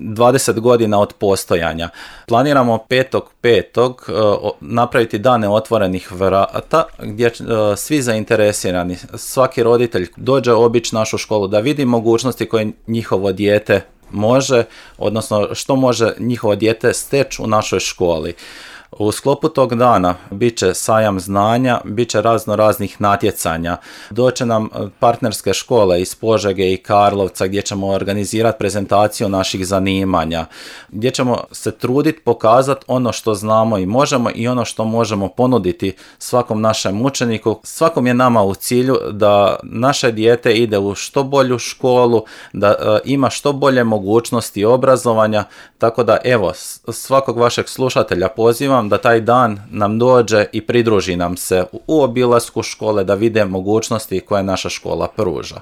20 godina od postojanja. Planiramo 5.5. napraviti dane otvorenih vrata gdje svi zainteresirani, svaki roditelj dođe obići našu školu da vidi mogućnosti koje njihovo dijete može, odnosno što može njihovo dijete steći u našoj školi. U sklopu tog dana bit će sajam znanja, bit će raznih natjecanja. Doće nam partnerske škole iz Požege i Karlovca gdje ćemo organizirati prezentaciju naših zanimanja, gdje ćemo se truditi pokazati ono što znamo i možemo i ono što možemo ponuditi svakom našem učeniku. Svakom je nama u cilju da naše dijete ide u što bolju školu, da ima što bolje mogućnosti obrazovanja, tako da evo, svakog vašeg slušatelja pozivam da taj dan nam dođe i pridruži nam se u obilasku škole da vide mogućnosti koje naša škola pruža.